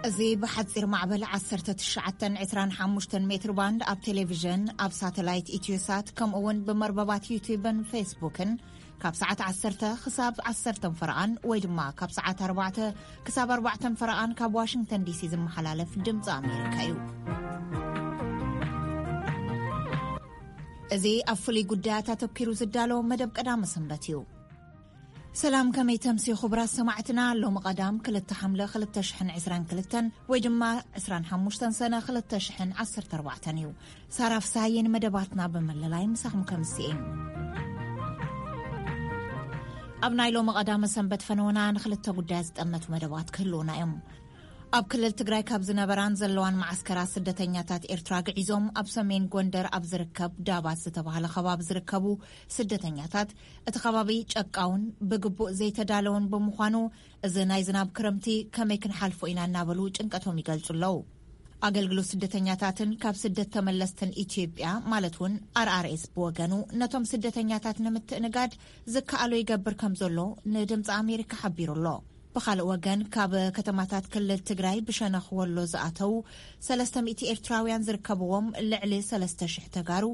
እዚ ብሓጺር ማዕበል ዓሰርተ ትሽዓተ ዕስራን ሓሙሽተን ሜትር ባንድ ኣብ ቴሌቪዥን፣ ኣብ ሳተላይት ኢትዮሳት፣ ከምኡ እውን ብመርበባት ዩቲዩብን ፌስቡክን ካብ ሰዓት ዓሰርተ ክሳብ ዓሰርተ ፈረቓን ወይ ድማ ካብ ሰዓት ኣርባዕተ ክሳብ ኣርባዕተ ፈረቓን ካብ ዋሽንግተን ዲሲ ዝመሓላለፍ ድምፂ ኣሜሪካ እዩ። እዚ ኣብ ፍሉይ ጉዳያት ኣተኪሩ ዝዳሎ መደብ ቀዳመ ሰንበት እዩ። ሰላም፣ ከመይ ተምሲ ክቡራት ሰማዕትና? ሎሚ ቀዳም ክልተ ሓምለ ክልተ ሽሕን ዕስራን ክልተን ወይ ድማ ዕስራን ሓሙሽተን ሰነ ክልተ ሽሕን ዓሰርተ ኣርባዕተን እዩ። ሳራ ፍስሃየ ንመደባትና ብምልላይ ምሳኹም ከምስኤ። ኣብ ናይ ሎሚ ቀዳመ ሰንበት ፈነወና ንክልተ ጉዳያት ዝጠመቱ መደባት ክህልውና እዮም። ኣብ ክልል ትግራይ ካብ ዝነበራን ዘለዋን መዓስከራት ስደተኛታት ኤርትራ ግዒዞም ኣብ ሰሜን ጎንደር ኣብ ዝርከብ ዳባት ዝተባህለ ከባቢ ዝርከቡ ስደተኛታት፣ እቲ ከባቢ ጨቃውን ብግቡእ ዘይተዳለውን ብምዃኑ፣ እዚ ናይ ዝናብ ክረምቲ ከመይ ክንሓልፎ ኢና እናበሉ ጭንቀቶም ይገልጹ ኣለዉ። ኣገልግሎት ስደተኛታትን ካብ ስደት ተመለስትን ኢትዮጵያ ማለት እውን ኣርኣርኤስ ብወገኑ፣ ነቶም ስደተኛታት ንምትእንጋድ ዝከኣሎ ይገብር ከም ዘሎ ንድምፂ ኣሜሪካ ሓቢሩ ኣሎ። ብኻልእ ወገን፣ ካብ ከተማታት ክልል ትግራይ ብሸነኽ ወሎ ዝኣተዉ ሰለስተ ሚእቲ ኤርትራውያን ዝርከብዎም ልዕሊ ሰለስተ ሽሕ ተጋሩ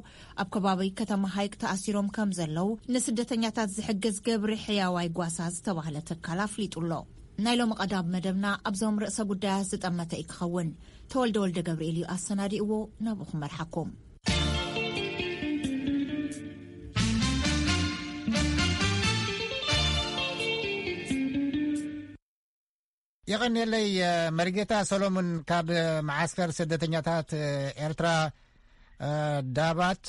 ኣብ ከባቢ ከተማ ሃይቅ ተኣሲሮም ከም ዘለዉ ንስደተኛታት ዝሕግዝ ግብሪ ሕያዋይ ጓሳ ዝተባህለ ትካል ኣፍሊጡ ኣሎ። ናይ ሎሚ ቀዳም መደብና ኣብዞም ርእሰ ጉዳያት ዝጠመተ እዩ ክኸውን። ተወልደ ወልደ ገብርኤል እዩ ኣሰናዲእዎ፣ ናብኡ ክመርሓኩም። የቐንየለይ፣ መሪጌታ ሰሎሙን ካብ መዓስከር ስደተኛታት ኤርትራ ዳባት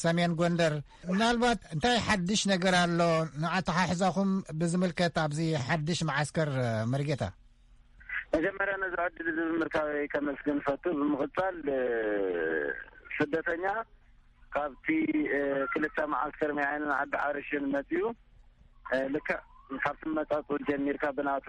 ሰሜን ጎንደር። ምናልባት እንታይ ሓድሽ ነገር ኣሎ ንኣተሓሕዛኹም ብዝምልከት ኣብዚ ሓድሽ መዓስከር መሪጌታ? መጀመርያ ነዚ ዕድል እዚ ብምርካበይ ከመስግን እፈቱ። ብምቕጻል፣ እ፣ ስደተኛ ካብቲ፣ እ፣ ክልተ መዓስከር መያንን ዓዲ ሓርሽን መጺኡ፣ እ፣ ልክዕ ካብቲ መጻጽኡ ጀሚርካ ብናቱ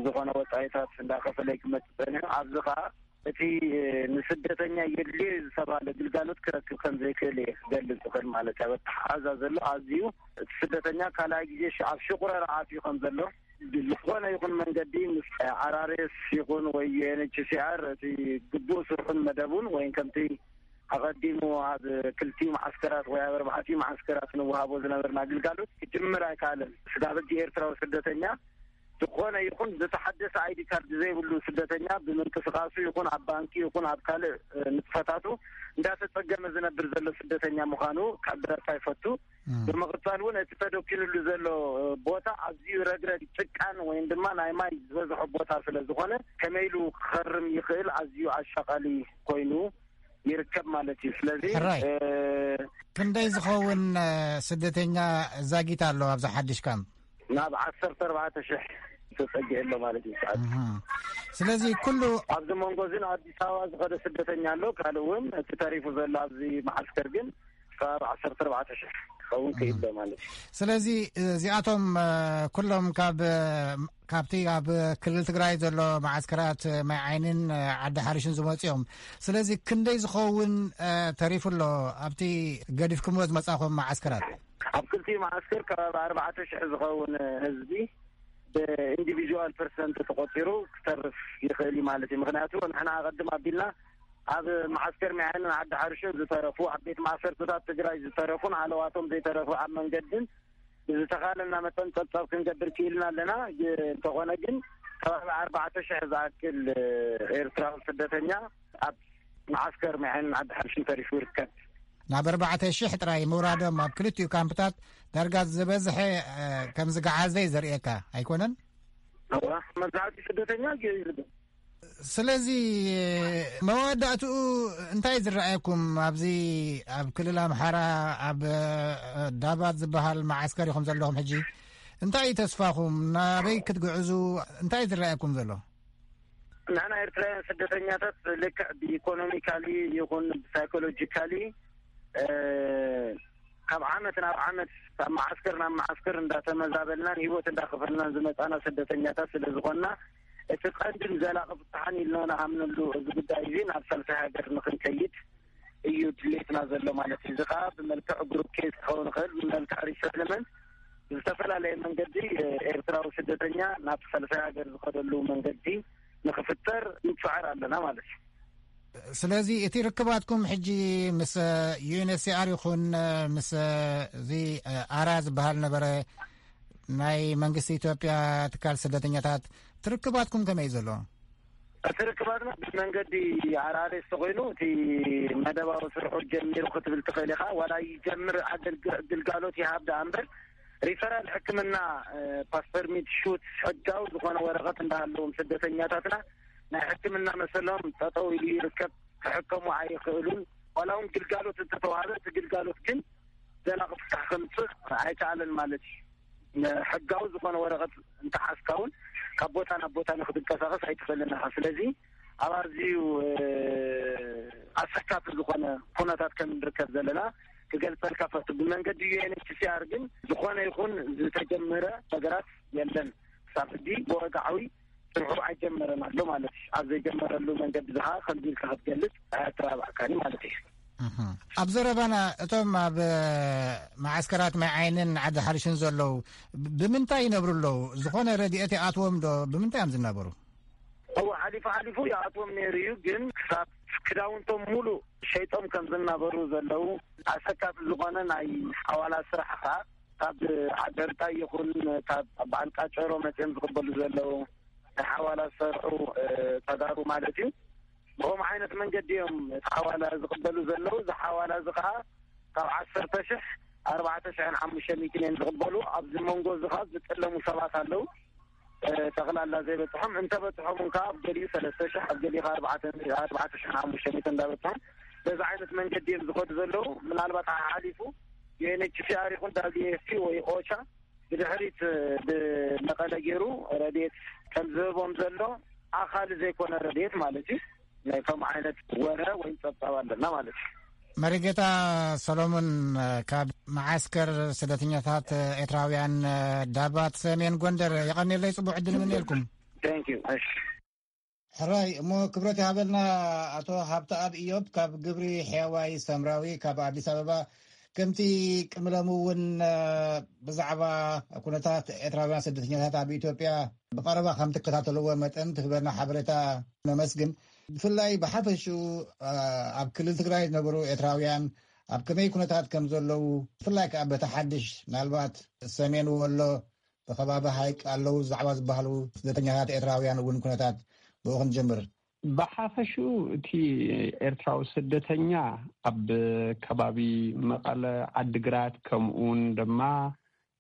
ዝኾነ ወጻኢታት እንዳኸፈለ ክመጽእ ጸኒሑ። ኣብዚ ኸኣ እቲ፣ እ፣ ንስደተኛ የድልዮ ዝተባህለ ግልጋሎት ክረክብ ከም ዘይክእል እየ ክገልጽ እኽእል ማለት እዩ። ኣብ ኣተሓሕዛ ዘሎ ኣዝዩ እቲ ስደተኛ ካልኣይ ግዜ ሽ-፣ ኣብ ሽቑረራ ኣትዩ ከም ዘሎ ብዝኾነ ይኹን መንገዲ ምስ ኣርኣርኤስ ይኹን ወይ ዩ ኤን ኤች ሲ ኣር እቲ ግቡእ ስርሑን መደቡን ወይም ከምቲ ኣቐዲሙ ኣብ ክልቲኡ መዓስከራት ወይ ኣብ ኣርባዕቲኡ መዓስከራት ንወሃቦ ዝነበርና ግልጋሎት ክጅምር ኣይከኣለን። ስጋብ ሕጂ ኤርትራዊ ስደተኛ ዝኾነ ይኹን ዝተሓደሰ ኣይዲ ካርድ ዘይብሉ ስደተኛ ብምንቅስቃሱ ይኹን ኣብ ባንኪ ይኹን ኣብ ካልእ፣ እ፣ ንጥፈታቱ እንዳተጸገመ ዝነብር ዘሎ ስደተኛ ምዃኑ ክሕብረካ ይፈቱ። እም። ብምቕጻል እውን እቲ ተደኪኑሉ ዘሎ ቦታ ኣዝዩ ረግረግ ጭቃን ወይም ድማ ናይ ማይ ዝበዝሖ ቦታ ስለ ዝኾነ ከመይ ኢሉ ክኸርም ይኽእል ኣዝዩ ኣሻቓሊ ኮይኑ ይርከብ ማለት እዩ። ስለዚ፣ ሕራይ። እ፣ ክንደይ ዝኸውን፣ እ፣ ስደተኛ ዛጊት ኣሎ ኣብዚ ሓድሽ ካምፕ? ናብ ዓሰርተ ኣርባዕተ ሽሕ ተጸጊዑ ኣሎ ማለት እዩ ሰዓት። እህ። ስለዚ ኩሉ ኣብዚ መንጎ እዚ ንኣዲስ ኣበባ ዝኸደ ስደተኛ ኣሎ። ካልእ እውን እቲ ተሪፉ ዘሎ ኣብዚ መዓስከር ግን ከባቢ ዓሰርተ ኣርባዕተ ሽሕ ክኸውን ክኢሎ ማለት እዩ። ስለዚ እዚኣቶም፣ እ፣ ኩሎም ካብ፣ እ፣ ካብቲ ኣብ ክልል ትግራይ ዘሎ መዓስከራት ማይ ዓይንን፣ እ፣ ዓዲ ሓሪሽን ዝመጹ እዮም። ስለዚ ክንደይ ዝኸውን፣ እ፣ ተሪፉ ኣሎ ኣብቲ ገዲፍኩምዎ ዝመጻኹም መዓስከራት? ኣብ ክልቲኡ መዓስከር ከባቢ ኣርባዕተ ሽሕ ዝኸውን ህዝቢ ብኢንዲቪዥዋል ፐርሰንት ተቆጺሩ ክተርፍ ይኽእል እዩ ማለት እዩ። ምኽንያቱ ንሕና ኣቐድም ኣቢልና ኣብ መዓስከር ሚዓንን ዓዲ ሓርሽን ዝተረፉ፣ ኣብ ቤት ማእሰርትታት ትግራይ ዝተረፉን ሃለዋቶም ዘይተረፉ ኣብ መንገድን ብዝተኻለና መጠን ጸብጻብ ክንገብር ክኢልና ኣለና። ግ-፣ እንተኾነ ግን ከባቢ ኣርባዕተ ሽሕ ዝኣክል ኤርትራዊ ስደተኛ ኣብ መዓስከር ሚዓንን ዓዲ ሓርሽን ተሪፉ ይርከብ። ናብ ኣርባዕተ ሽሕ ጥራይ ምውራዶም ኣብ ክልቲኡ ካምፕታት ዳርጋ ዝበዝሐ፣ እ፣ ከም ዝገዓዘ እዩ ዘርእየካ ኣይኮነን? እዋ፣ መብዛሕትኡ ስደተኛ ገ-፣ ስለዚ መወዳእትኡ እንታይ ዝረኣየኩም ኣብዚ ኣብ ክልል ኣምሓራ ኣብ፣ እ፣ ዳባት ዝበሃል መዓስከር ኢኹም ዘለኹም ሕጂ? እንታይ እዩ ተስፋኹም? ናበይ ክትግዕዙ? እንታይ ዝረኣየኩም ዘሎ? ንሕና ኤርትራውያን ስደተኛታት ልክዕ ብኢኮኖሚካሊ ይኹን ብሳይኮሎጂካሊ፣ እ፣ ካብ ዓመት ናብ ዓመት ካብ መዓስከር ናብ መዓስከር እንዳተመዛበልናን ህይወት እንዳኸፈልናን ዝመጻና ስደተኛታት ስለ ዝኾንና፣ እቲ ቀንድን ዘላቒ ፍታሕን ኢልና ንኣምነሉ እዚ ጉዳይ እዚ ናብ ሳልሳይ ሃገር ንኽንከይድ እዩ ድሌትና ዘሎ ማለት እዩ። እዚ ኸኣ ብመልክዕ ግሩፕ ኬዝ ክኸውን ይኽእል፣ ብመልክዕ ሪሰትልመንት ብዝተፈላለየ መንገዲ፣ እ፣ ኤርትራዊ ስደተኛ ናብ ሳልሳይ ሃገር ዝኸደሉ መንገዲ ንክፍጠር ንፅዕር ኣለና ማለት እዩ። ስለዚ እቲ ርክባትኩም ሕጂ ምስ ዩ ኤን ኤች ሲ ኣር ይኹን ምስ እዚ ኣራ ዝበሃል ነበረ ናይ መንግስቲ ኢትዮጵያ ትካል ስደተኛታት፣ እቲ ርክባትኩም ከመይ እዩ ዘሎ? እቲ ርክባትና ብመንገዲ ኣራሬስ ተኮይኑ እቲ መደባዊ ስርሑ ጀሚሩ ክትብል ትኽእል ኢኻ። ዋላ ይጀምር ኣገልግ- ግልጋሎት ይሃብ ደኣ እምበር ሪፈራል ሕክምና፣ ፓስፖርት ሹት፣ ሕጋዊ ዝኾነ ወረቐት እንዳሃለዎም ስደተኛታትና ናይ ሕክምና መሰሎም ጠጠው ኢሉ ይርከብ። ክሕከሙ ኣይኽእሉን። ዋላ እውን ግልጋሎት እንተተዋሃበ እቲ ግልጋሎት ግን ዘላቂ ፍታሕ ከምፅእ ኣይከኣለን ማለት እዩ። ሕጋዊ ዝኾነ ወረቐት እንተሓዝካ እውን ካብ ቦታ ናብ ቦታ ንክትንቀሳቐስ ኣይትኽእልን ኢኻ። ስለዚ ኣብ ኣዝዩ ኣሰካፊ ዝኾነ ኩነታት ከም ንርከብ ዘለና ክገልጸልካ ፈቱ። ብመንገዲ ዩ ኤን ኤች ሲ ኣር ግን ዝኾነ ይኹን ዝተጀመረ ነገራት የለን። ክሳብ ሕጂ ብወግዓዊ ስርሑ ኣይጀመረን ኣሎ ማለት እዩ። ኣብ ዘይጀመረሉ መንገዲ ዝኻ ከምዚ ኢልካ ክትገልጽ ኣያተባብዓካኒ ማለት እዩ። ኣብ ዘረባና እቶም ኣብ መዓስከራት ማይ ዓይንን ዓዲ ሓርሽን ዘለዉ ብምንታይ ይነብሩ ኣለዉ? ዝኾነ ረድኤት ይኣትዎም ዶ? ብምንታይ እዮም ዝናበሩ? እወ፣ ሓሊፉ ሓሊፉ ይኣትዎም ነይሩ እዩ፣ ግን ክሳብ ክዳውንቶም ሙሉእ ሸይጦም ከም ዝናበሩ ዘለዉ፣ ኣሰካፊ ዝኾነ ናይ ሓዋላ ስራሕ ኸዓ ካብ ዓደርጣይ ይኹን ካብ በዓል ቃጨሮ መፅኦም ዝቕበሉ ዘለዉ ናይ ሓዋላ ዝሰርሑ ተጋሩ ማለት እዩ። ብኸምኡ ዓይነት መንገዲ እዮም እቲ ሓዋላ ዝቕበሉ ዘለዉ። እዚ ሓዋላ እዚ ኸዓ ካብ ዓሰርተ ሽሕ ኣርባዕተ ሽሕን ሓሙሽተ ሚእትን እዮም ዝቕበሉ። ኣብዚ መንጎ እዚ ኸዓ ዝጠለሙ ሰባት ኣለዉ። ጠቕላላ ዘይበፅሖም እንተበፅሖም እንካ ኣብ ገሊኡ ሰለስተ ሽሕ ኣብ ገሊኡ ኣርባዕተ ሽሕ ሓሙሽተ ሚእቲ እንዳበፅሖም በዚ ዓይነት መንገዲ እዮም ዝኸዱ ዘለዉ። ምናልባት ሓሓሊፉ ዩ ኤን ኤች ሲ ኣር ይኹን ዳብሊው ኤፍ ፒ ወይ ኦቻ ብድሕሪት ብመቐለ ገይሩ ረድኤት ከም ዝህቦም ዘሎ ኣኻሊ ዘይኮነ ረድኤት ማለት እዩ። ናይ ከምኡ ዓይነት ወረ ወይ ፀብፃብ ኣለና ማለት እዩ። መሪጌታ ሰሎሞን ካብ መዓስከር ስደተኛታት ኤርትራውያን ዳባት ሰሜን ጎንደር የቐንየለይ። ጽቡቕ ዕድል ምንየልኩም። Thank you። እሺ። ሕራይ እሞ ክብረት ይሃበልና። ኣቶ ሃብተኣብ ኢዮብ ካብ ግብሪ ሕያዋይ ሰምራዊ ካብ ኣዲስ ኣበባ፣ ከምቲ ቅምለሙ እውን ብዛዕባ ኩነታት ኤርትራውያን ስደተኛታት ኣብ ኢትዮጵያ ብቐረባ ከም ትከታተልዎ መጠን ትህበና ሓበሬታ ነመስግን። ብፍላይ ብሓፈሽኡ ኣብ ክልል ትግራይ ዝነበሩ ኤርትራውያን ኣብ ከመይ ኩነታት ከም ዘለዉ፣ ብፍላይ ከዓ በቲ ሓድሽ ምናልባት ሰሜን ወሎ ብከባቢ ሃይቅ ኣለዉ ዛዕባ ዝበሃሉ ስደተኛታት ኤርትራውያን እውን ኩነታት ብኡ ክንጀምር። ብሓፈሽኡ እቲ ኤርትራዊ ስደተኛ ኣብ ከባቢ መቐለ፣ ዓድግራት፣ ከምኡውን ድማ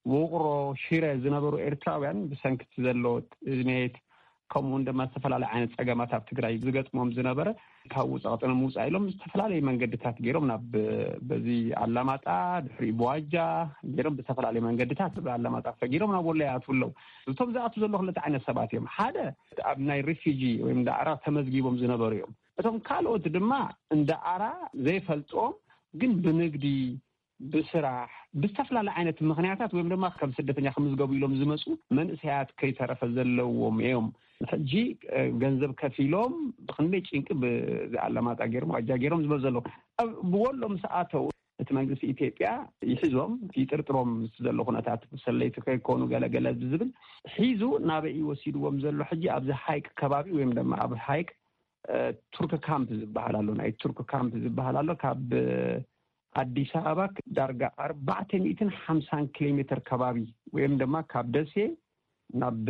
ውቕሮ፣ ሽረ ዝነበሩ ኤርትራውያን ብሰንኪ እቲ ዘሎ ጥሜት፣ ከምኡውን ድማ ዝተፈላለዩ ዓይነት ጸገማት ኣብ ትግራይ ዝገጥሞም ዝነበረ፣ ካብኡ ጸቕጢ ንምውጻእ ኢሎም ዝተፈላለዩ መንገድታት ገይሮም ናብ በዚ ኣላማጣ፣ ድሕሪኡ ብዋጃ ገይሮም ብዝተፈላለዩ መንገድታት ብኣላማጣ ሰጊሮም ናብ ወሎ ይኣትዉ ኣለዉ። እቶም ዝኣትዉ ዘለዉ ክልተ ዓይነት ሰባት እዮም። ሓደ ኣብ ናይ ሪፊጂ ወይ እንዳ ኣራ ተመዝጊቦም ዝነበሩ እዮም። እቶም ካልኦት ድማ እንዳ ኣራ ዘይፈልጦም ግን ብንግዲ፣ ብስራሕ፣ ብዝተፈላለየ ዓይነት ምኽንያታት ወይም ድማ ከም ስደተኛ ክምዝገቡ ኢሎም ዝመፁ መንእሰያት ከይተረፈ ዘለዎም እዮም። ሕጂ ገንዘብ ከፊሎም ብክንደይ ጭንቂ ብኣላማጣ ገይሮም ዋጃ ገይሮም ዝበሉ ዘለዉ። ኣብ ብወሎ ምስ ኣተው እቲ መንግስቲ ኢትዮጵያ ይሕዞም፣ ይጥርጥሮም ምስ ዘሎ ኩነታት ሰለይቲ ከይኮኑ ገለገለ ዝብል ሒዙ ናበይ ወሲድዎም ዘሎ? ሕጂ ኣብዚ ሃይቅ ከባቢ ወይም ድማ ኣብ ሃይቅ ቱርክ ካምፕ ዝበሃል ኣሎ፣ ናይ ቱርክ ካምፕ ዝበሃል ኣሎ። ካብ ኣዲስ ኣበባ ዳርጋ ኣርባዕተ ሚእትን ሓምሳን ኪሎ ሜትር ከባቢ ወይም ድማ ካብ ደሴ ናብ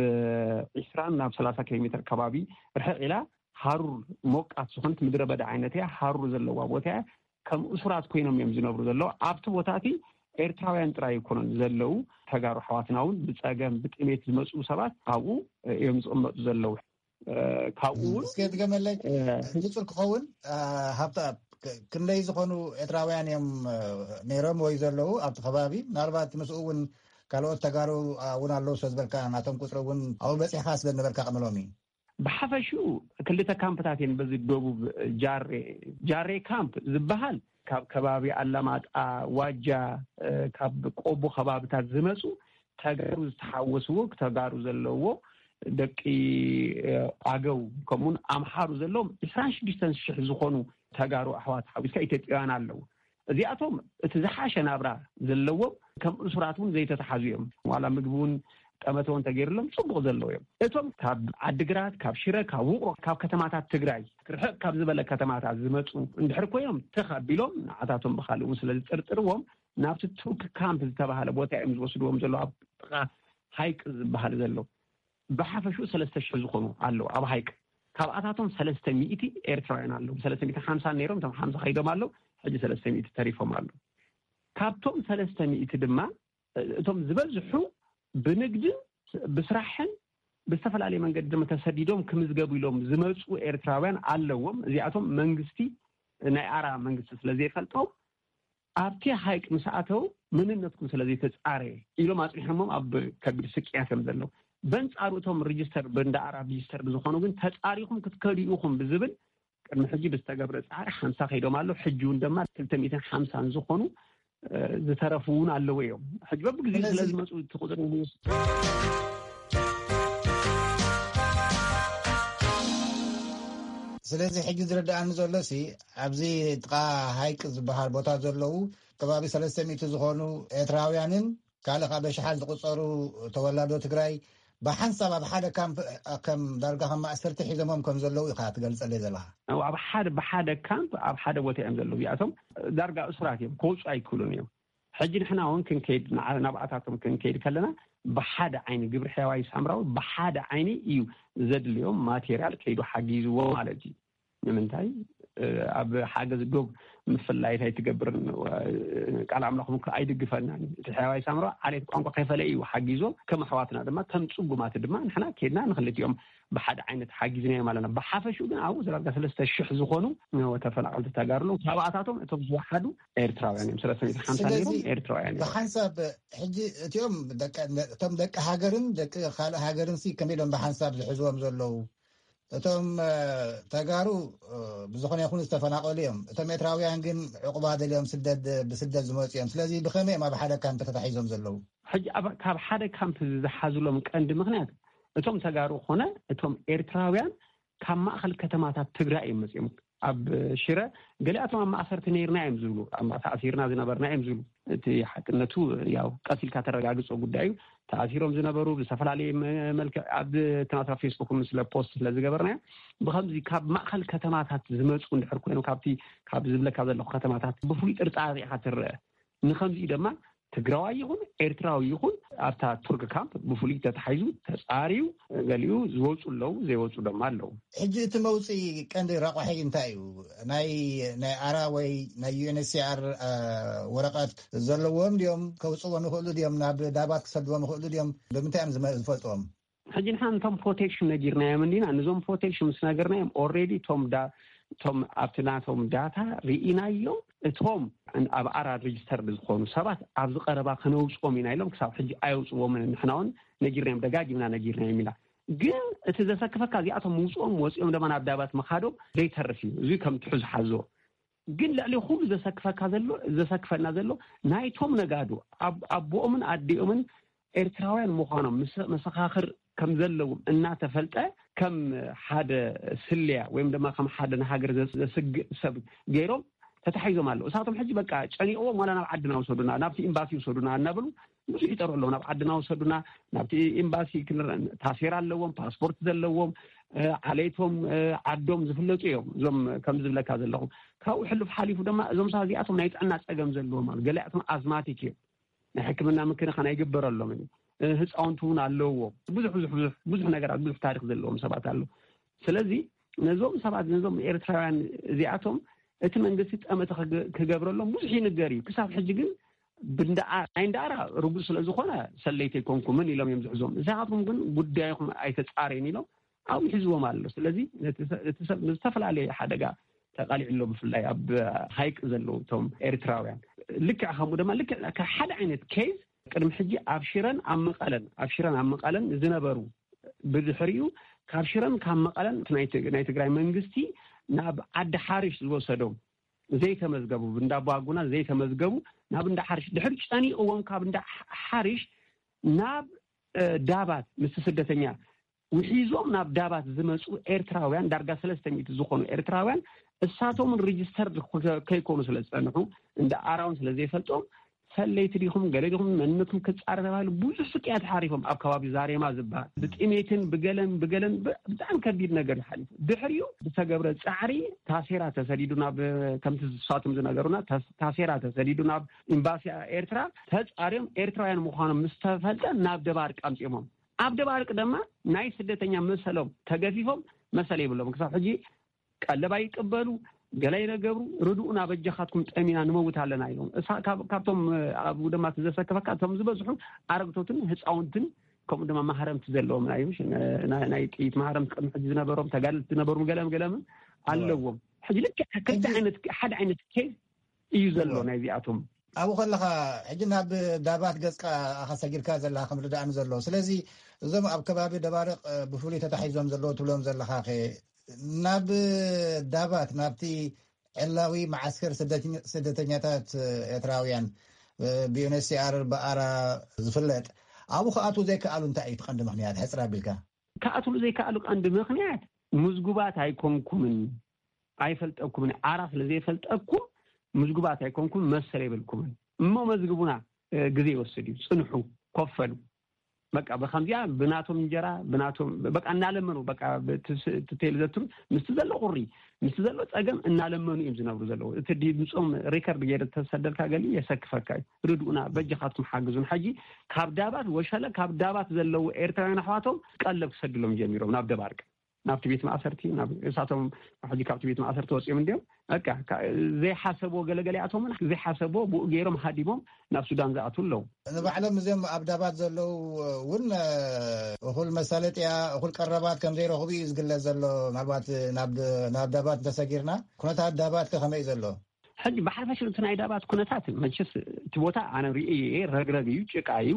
ዒስራን ናብ ሰላሳ ኪሎ ሜትር ከባቢ ርሕቕ ኢላ ሃሩር ሞቃት ዝኾነት ምድረ በዳ ዓይነት እያ። ሃሩር ዘለዋ ቦታ እያ። ከም እሱራት ኮይኖም እዮም ዝነብሩ ዘለዉ። ኣብቲ ቦታ እቲ ኤርትራውያን ጥራይ ኣይኮኑን ዘለዉ፣ ተጋሩ ኣሕዋትና እውን ብጸገም ብጥሜት ዝመጽኡ ሰባት ኣብኡ እዮም ዝቕመጡ ዘለዉ። ካብኡ እውን እስከ ድገመለይ፣ ንጹር ክኸውን። ሃብተኣብ፣ ክንደይ ዝኾኑ ኤርትራውያን እዮም ነይሮም ወይ ዘለዉ ኣብቲ ከባቢ? ምናልባት ምስኡ እውን ካልኦት ተጋሩ እውን ኣለዉ ስለ ዝበልካ፣ ናቶም ቁጽሪ እውን ኣብኡ በጺሕካ ስለ ዝነበርካ ቅምሎም እዩ። ብሓፈሽኡ ክልተ ካምፕታት እየን በዚ ደቡብ ጃሬ፣ ጃሬ ካምፕ ዝበሃል ካብ ከባቢ ኣላማጣ፣ ዋጃ፣ ካብ ቆቦ ከባብታት ዝመፁ ተጋሩ ዝተሓወስዎ፣ ተጋሩ ዘለዎ፣ ደቂ ኣገው ከምኡውን ኣምሓሩ ዘለዎም ዕስራን ሽዱሽተን ሽሕ ዝኾኑ ተጋሩ ኣሕዋት ሓዊስካ ኢትዮጵያውያን ኣለዉ። እዚኣቶም እቲ ዝሓሸ ናብራ ዘለዎም ከም እሱራት እውን ዘይተተሓዙ እዮም። ዋላ ምግቢ እውን ጠመተ እውን ተገይርሎም ጽቡቕ ዘለዉ እዮም። እቶም ካብ ዓድግራት፣ ካብ ሽረ፣ ካብ ውቕሮ፣ ካብ ከተማታት ትግራይ ርሕቕ ካብ ዝበለ ከተማታት ዝመጹ እንድሕር ኮይኖም፣ ትኽ ኣቢሎም ንዓታቶም ብኻልእ እውን ስለ ዝጥርጥርዎም፣ ናብቲ ቱርክ ካምፕ ዝተባህለ ቦታ እዮም ዝወስድዎም ዘለዉ፣ ኣብ ጥቓ ሃይቅ ዝበሃል ዘሎ። ብሓፈሽኡ ሰለስተ ሽሕ ዝኾኑ ኣለዉ ኣብ ሃይቅ። ካብኣታቶም ሰለስተ ሚእቲ ኤርትራውያን ኣለዉ። ሰለስተ ሚእቲ ሓምሳ ነይሮም፣ እቶም ሓምሳ ከይዶም ኣለዉ፣ ሕጂ ሰለስተ ሚእቲ ተሪፎም ኣለዉ። ካብቶም ሰለስተ ሚእቲ ድማ፣ እቶም ዝበዝሑ ብንግድን ብስራሕን ብዝተፈላለየ መንገዲ ድማ ተሰዲዶም ክምዝገቡ ኢሎም ዝመፁ ኤርትራውያን ኣለዎም። እዚኣቶም መንግስቲ፣ ናይ ኣራ መንግስቲ ስለ ዘይፈልጦም፣ ኣብቲ ሃይቅ ምስ ኣተው፣ መንነትኩም ስለ ዘይተፃረየ ኢሎም ኣፅኒሖሞም ኣብ ከቢድ ስቅያት እዮም ዘለዉ። በንፃሩ እቶም ሬጅስተር፣ ብእንዳ ኣራ ሬጅስተር ዝኾኑ ግን፣ ተፃሪኹም ክትከዱ ኢኹም ብዝብል ቅድሚ ሕጂ ብዝተገብረ ፃዕሪ ሓምሳ ከይዶም ኣለዉ። ሕጂ እውን ድማ ክልተ ሚእትን ሓምሳን ዝኾኑ፣ እ፣ ዝተረፉ እውን ኣለዉ እዮም። ሕጂ በብግዜኡ ስለ ስለዚ ዝመፁ እቲ ቁፅሪ ንውስ- ስለዚ ሕጂ ዝረዳኣኒ ዘሎ ሲ፣ ኣብዚ ጥቓ ሃይቅ ዝበሃል ቦታ ዘለዉ ከባቢ ሰለስተ ሚእቲ ዝኾኑ ኤርትራውያንን ካልእ ካብ ኣሽሓት ዝቑጸሩ ተወላዶ ትግራይ ብሓንሳብ ኣብ ሓደ ካምፕ፣ ከም ዳርጋ ከም ማእሰርቲ ሒዞሞም ከም ዘለዉ ኢኻ ትገልጸለይ ዘለኻ። ኣብ ሓደ፣ ብሓደ ካምፕ ኣብ ሓደ ቦታ እዮም ዘለዉ። እዚኣቶም ዳርጋ እሱራት እዮም፣ ክወፁ ኣይክእሉን እዮም። ሕጂ ንሕና እውን ክንከይድ፣ ንዓ-፣ ናብኣታቶም ክንከይድ ከለና፣ ብሓደ ዓይኒ፣ ግብሪ ሕያዋይ ሳምራዊ ብሓደ ዓይኒ እዩ ዘድልዮም ማቴርያል ከይዱ ሓጊዝዎ ማለት እዩ። ንምንታይ? እ፣ ኣብ ሓገዝ ዶብ ምፍላይ እንታይ ትገብርን፣ እ፣ ቃል ኣምላኽ እውን ኣይድግፈናን እዩ። እቲ ሕያዋይ ሳምራዊ ዓሌት ቋንቋ ከይፈለየ እዩ ሓጊዞ። ከም ኣሕዋትና ድማ፣ ከም ጽጉማት ድማ ንሕና ከይድና ንክልቲኦም ብሓደ ዓይነት ሓጊዝናዮም ኣለና። ብሓፈሽኡ ግን ኣብኡ ዳርጋ ሰለስተ ሽሕ ዝኾኑ ተፈናቐልቲ ተጋሩ ኣለዉ። ካብኣታቶም እቶም ዝወሓዱ ኤርትራውያን እዮም። ሰለስተ ሚእቲ ሓምሳ ስለዚ ነይሮም ኤርትራውያን እዮም። ብሓንሳብ ሕጂ እቲኦም ደቂ፣ እቶም ደቂ ሃገርን ደቂ ካልእ ሃገርን ሲ ከመይ ኢሎም ብሓንሳብ ዝሕዝዎም ዘለዉ? እቶም፣ እ፣ ተጋሩ፣ እ፣ ብዝኾነ ይኹን ዝተፈናቐሉ እዮም። እቶም ኤርትራውያን ግን ዕቑባ ደልዮም ስደት፣ ብስደት ዝመፁ እዮም። ስለዚ ብኸመይ እዮም ኣብ ሓደ ካምፕ ተታሒዞም ዘለዉ? ሕጂ ኣብ፣ ካብ ሓደ ካምፕ ዝሓዙሎም ቀንዲ ምኽንያት፣ እቶም ተጋሩ ኾነ እቶም ኤርትራውያን ካብ ማእኸል ከተማታት ትግራይ እዮም መፂኦም። ኣብ ሽረ ገሊኣቶም ኣብ ማእሰርቲ ነይርና እዮም ዝብሉ፣ ኣብ ተኣሲርና ዝነበርና እዮም ዝብሉ። እቲ ሓቅነቱ ያው ቀስ ኢልካ ተረጋግጾ ጉዳይ እዩ። ተኣሲሮም ዝነበሩ ብዝተፈላለየ መ-፣ መልክዕ ኣብ እቲ ናትና ፌስቡክ ስለ ፖስት ስለ ዝገበርናዮ፣ ብኸምዚ ካብ ማእኸል ከተማታት ዝመፁ እንድሕር ኮይኖም፣ ካብቲ፣ ካብ ዝብለካ ዘለኹ ከተማታት ብፍሉይ ጥርጣሬ ኢኻ ትረአ። ንኸምዚኡ ድማ ትግራዋይ ይኹን ኤርትራዊ ይኹን ኣብታ ቱርክ ካምፕ ብፍሉይ ተታሒዙ ተፃርዩ፣ ገሊኡ ዝወፁ ኣለዉ፣ ዘይወፁ ድማ ኣለዉ። ሕጂ እቲ መውፅኢ ቀንዲ ረቋሒ እንታይ እዩ? ናይ፣ ናይ ኣራ ወይ ናይ ዩ ኤን ኤች ሲ ኣር፣ አ፣ ወረቐት ዘለዎም ድዮም? ከውፅዎ ንኽእሉ ድዮም? ናብ ዳባት ክሰድዎም ይኽእሉ ድዮም? ብምንታይ እዮም ዝመ-፣ ዝፈልጥዎም? ሕጂ ንሕና ነቶም ፕሮቴክሽን ነጊርናዮም እንዲና፣ ነዞም ፕሮቴክሽን ምስ ነገርናዮም፣ ኦልሬዲ እቶም ዳ-፣ እቶም ኣብቲ ናቶም ዳታ ርኢናዮም፣ እቶም ኣብ ኣራ ሬጅስተርድ ዝኾኑ ሰባት ኣብዚ ቀረባ ከነውፅኦም ኢና ኢሎም፣ ክሳብ ሕጂ ኣየውፅዎምን። ንሕና እውን ነጊርናዮም፣ ደጋጊምና ነጊርናዮም ኢና። ግን እቲ ዘሰክፈካ፣ እዚኣቶም ምውፅኦም ወፂኦም ድማ ናብ ዳባት ምኻዶም ዘይተርፍ እዩ። እዚ ከም ትሑዝ ሓዞ። ግን ልዕሊ ኩሉ ዘሰክፈካ ዘሎ፣ ዘሰክፈና ዘሎ፣ ናይቶም ነጋዶ፣ ኣብ-፣ ኣቦኦምን ኣዲኦምን ኤርትራውያን ምዃኖም ምስ-፣ መሰኻኽር ከም ዘለዎም እናተፈልጠ፣ ከም ሓደ ስልያ ወይም ድማ ከም ሓደ ንሃገር ዘስ-፣ ዘስግእ ሰብ ገይሮም ተታሒዞም ኣለዉ። እሳቶም ሕጂ በቃ ጨኒቕዎም፣ ዋላ ናብ ዓድና ውሰዱና፣ ናብቲ ኤምባሲ ውሰዱና እናበሉ ብዙሕ ይጠርሑ ኣለዉ። ናብ ዓድና ውሰዱና፣ ናብቲ ኤምባሲ ክንረ-፣ ታሴራ ኣለዎም፣ ፓስፖርት ዘለዎም፣ እ፣ ዓሌቶም፣ እ፣ ዓዶም ዝፍለጡ እዮም። እዞም ከም ዝብለካ ዘለኹ፣ ካብኡ ሕሉፍ ሓሊፉ ድማ እዞም ሰባት እዚኣቶም ናይ ጥዕና ጸገም ዘለዎም ኣለዉ። ገሊኣቶም ኣዝማቲክ እዮም። ናይ ሕክምና ምክንኻን ኣይግበረሎምን እዩ። እ፣ ህፃውንቲ እውን ኣለውዎ። ብዙሕ፣ ብዙሕ፣ ብዙሕ፣ ብዙሕ ነገራት፣ ብዙሕ ታሪኽ ዘለዎም ሰባት ኣለዉ። ስለዚ ነዞም ሰባት፣ ነዞም ኤርትራውያን እዚኣቶም እቲ መንግስቲ ጠመተ ክገ-፣ ክገብረሎም ብዙሕ ይንገር እዩ። ክሳብ ሕጂ ግን ብንዳ-፣ ናይ እንዳኣራ ርጉእ ስለ ዝኾነ ሰለይቲ ኣይኮንኩምን ኢሎም እዮም ዝሕዝዎም። ንስኻትኩም ግን ጉዳይኹም ኣይተጻረዩን ኢሎም ኣብኡ ይሕዝዎም ኣሎ። ስለዚ ነቲ ሰ-፣ እቲ ሰብ ንዝተፈላለየ ሓደጋ ተቓሊዑ ኣሎ፣ ብፍላይ ኣብ ሃይቅ ዘለዉ እቶም ኤርትራውያን። ልክዕ ከምኡ ድማ ልክዕ ካብ ሓደ ዓይነት ኬዝ ቅድሚ ሕጂ ኣብ ሽረን ኣብ መቐለን፣ ኣብ ሽረን ኣብ መቐለን ዝነበሩ፣ ብድሕሪኡ ካብ ሽረን ካብ መቐለን ናይ ት-፣ ናይ ትግራይ መንግስቲ ናብ ዓዲ ሓሪሽ ዝወሰዶም ዘይተመዝገቡ፣ ብእንዳ ባጉና ዘይተመዝገቡ ናብ እንዳ ሓሪሽ፣ ድሕሪ ጨኒቕዎም ካብ እንዳ ሓ-፣ ሓሪሽ ናብ፣ እ፣ ዳባት ምስቲ ስደተኛ ውሒዞም ናብ ዳባት ዝመፁ ኤርትራውያን ዳርጋ ሰለስተ ሚእቲ ዝኾኑ ኤርትራውያን፣ እሳቶምን ሬጅስተርድ ከ-፣ ከይኮኑ ስለ ዝጸንሑ፣ እንዳ ኣራውን ስለ ዘይፈልጦም፣ ሰለይቲ ዲኹም፣ ገለ ዲኹም፣ መንነትኩም ክጻረ ተባሂሉ ብዙሕ ስቅያት ሓሪፎም። ኣብ ከባቢ ዛሬማ ዝበሃል ብጥሜትን ብገለን ብገለን ብ-፣ ብጣዕሚ ከቢድ ነገር ሓሊፉ። ድሕሪኡ ብተገብረ ጻዕሪ ታሴራ ተሰዲዱ ናብ፣ ከምቲ ንሳቶም ዝነገሩና፣ ታስ-፣ ታሴራ ተሰዲዱ ናብ ኤምባሲ ኤርትራ። ተጻርዮም ኤርትራውያን ምዃኖም ምስ ተፈልጠ ናብ ደባርቅ ኣምጺኦሞም። ኣብ ደባርቅ ድማ ናይ ስደተኛ መሰሎም ተገፊፎም፣ መሰል የብሎም። ክሳብ ሕጂ ቀለብ ኣይቅበሉ፣ ገለ ኣይነገብሩ። ርድኡና፣ በጃኻትኩም፣ ጠሚና ንመውት ኣለና ኢሎም። እሳ-፣ ካብ-፣ ካብቶም፣ እ፣ ኣብኡ ድማ እቲ ዘሰከፈካ፣ እቶም ዝበዝሑ ኣረግቶትን ህፃውንትን፣ ከምኡ ድማ ማህረምቲ ዘለዎም ናይ፣ ናይ፣ ናይ ጥይት ማህረምቲ ቅድሚ ሕጂ ዝነበሮም ተጋደልቲ ዝነበሩ ገለም ገለምን ኣለዎም። ሕጂ ልክዕ ክልተ ዓይነት፣ ሓደ ዓይነት ኬዝ እዩ ዘሎ ናይዚኣቶም። ኣብኡ ከለኻ፣ ሕጂ ናብ ዳባት ገጽካ ኣኻ ሰጊርካ ዘለኻ ከም ርዳእኒ ዘሎ። ስለዚ እዞም ኣብ ከባቢ ደባርቕ፣ እ፣ ብፍሉይ ተታሒዞም ዘለዉ ትብሎም ዘለኻ ኸ፣ ናብ ዳባት፣ ናብቲ ዕላዊ መዓስከር ስደተኛ-፣ ስደተኛታት ኤርትራውያን፣ እ፣ ብዩኤንኤችሲኣር ብኣራ ዝፍለጥ፣ ኣብኡ ክኣትዉ ዘይከኣሉ እንታይ እዩ እቲ ቀንዲ ምኽንያት? ሕጽር ኣቢልካ። ክኣትውሉ ዘይከኣሉ ቀንዲ ምኽንያት፣ ምዝጉባት ኣይኮንኩምን፣ ኣይፈልጠኩምን፣ ዓራ ስለ ዘይፈልጠኩም ምዝጉባት ኣይኮንኩም፣ መሰል የብልኩምን። እሞ መዝግቡና፣ እ፣ ግዜ ይወስድ እዩ፣ ጽንሑ፣ ኮፈሉ። በቃ ብኸምዚኣ ብናቶም እንጀራ፣ ብናቶም በቃ እናለመኑ፣ በቃ ብትስ-፣ ትቴል ዘትሩ ምስቲ ዘሎ ቁሪ፣ ምስቲ ዘሎ ጸገም እናለመኑ እዮም ዝነብሩ ዘለዉ። እቲ ድምጾም ሪከርድ ገይረ ተሰደልካ ገሊ የሰክፈካ እዩ። ርድኡና፣ በጃኻትኩም ሓግዙን። ሕጂ ካብ ዳባት ወሸለ፣ ካብ ዳባት ዘለዉ ኤርትራውያን ኣሕዋቶም ቀለብ ክሰድሎም ጀሚሮም ናብ ደባርቅ፣ ናብቲ ቤት ማእሰርቲ፣ ናብ እሳቶም ሕጂ ካብቲ ቤት ማእሰርቲ ወጺኦም እንዲዮም። በቃ፣ ካ-፣ ዘይሓሰብዎ፣ ገለገሊኣቶም እውን ዘይሓሰብዎ ብኡ ገይሮም ሃዲሞም ናብ ሱዳን ዝኣትዉ ኣለዉ። ንባዕሎም እዚኦም ኣብ ዳባት ዘለዉ እውን፣ እ፣ እኹል መሳለጥያ፣ እኹል ቀረባት ከም ዘይረኽቡ እዩ ዝግለጽ ዘሎ። ምናልባት ናብ፣ ናብ ዳባት እንተሰጊርና፣ ኩነታት ዳባት ከ ከመይ እዩ ዘሎ? ሕጂ ብሓፈሽ እቲ ናይ ዳባት ኩነታት፣ መቸስ እቲ ቦታ ኣነ ርእየ እየ፣ ረግረግ እዩ፣ ጭቃ እዩ።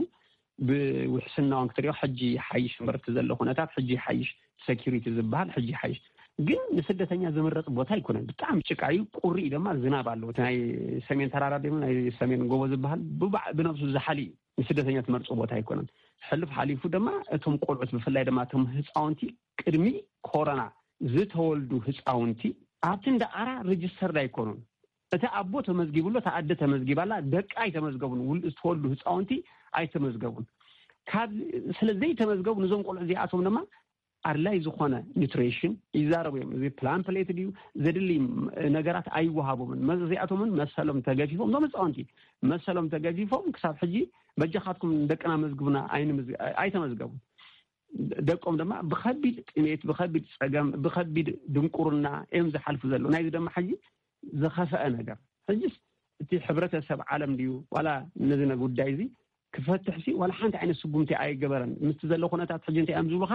ብውሕስናውን ክትሪኦ ሕጂ ይሓይሽ እምበር፣ እቲ ዘሎ ኩነታት ሕጂ ይሓይሽ፣ ሴኪሪቲ ዝበሃል ሕጂ ይሓይሽ። ግን ንስደተኛ ዝምረጽ ቦታ ኣይኮነን። ብጣዕሚ ጭቃ እዩ፣ ቁሪ እዩ ድማ፣ ዝናብ ኣለዎ። እቲ ናይ ሰሜን ተራራ ድማ፣ ናይ ሰሜን ጎቦ ዝበሃል ብባዕ-፣ ብነብሱ ዝሓሊ እዩ። ንስደተኛ ትመርጾ ቦታ ኣይኮነን። ሕሉፍ ሓሊፉ ድማ እቶም ቆልዑት፣ ብፍላይ ድማ እቶም ህፃውንቲ፣ ቅድሚ ኮሮና ዝተወልዱ ህፃውንቲ ኣብቲ እንዳ ኣራ ሬጅስተርድ ኣይኮኑን። እቲ ኣቦ ተመዝጊቡ ኣሎ፣ እታ ኣደ ተመዝጊባ ኣላ፣ ደቂ ኣይተመዝገቡን። ውል-፣ ዝተወልዱ ህፃውንቲ ኣይተመዝገቡን። ካብ፣ ስለ ዘይተመዝገቡ፣ ነዞም ቆልዑ እዚኣቶም ድማ ኣድላይ ዝኾነ ኒትሪሽን ይዛረቡ እዮም። እዚ ፕላን ፕሌት ድዩ፣ ዘድሊ ነገራት ኣይወሃቦምን። መ-፣ እዚኣቶምን መሰሎም ተገፊፎም፣ እዞም ህፃውንቲ መሰሎም ተገፊፎም፣ ክሳብ ሕጂ በጃኻትኩም ደቅና መዝግቡና ኣይንምዝ-፣ ኣይተመዝገቡን። ደቆም ድማ ብኸቢድ ጥሜት፣ ብኸቢድ ጸገም፣ ብኸቢድ ድንቁርና እዮም ዝሓልፉ ዘለዉ። ናይዚ ድማ ሕጂ ዝኸፍአ ነገር፣ ሕጂስ እቲ ሕብረተሰብ ዓለም ድዩ ዋላ ነዚ ነ-፣ ጉዳይ እዚ ክፈትሕሲ ዋላ ሓንቲ ዓይነት ስጉምቲ ኣይገበረን። ምስቲ ዘሎ ኩነታት ሕጂ እንታይ እዮም ዝብሉኻ?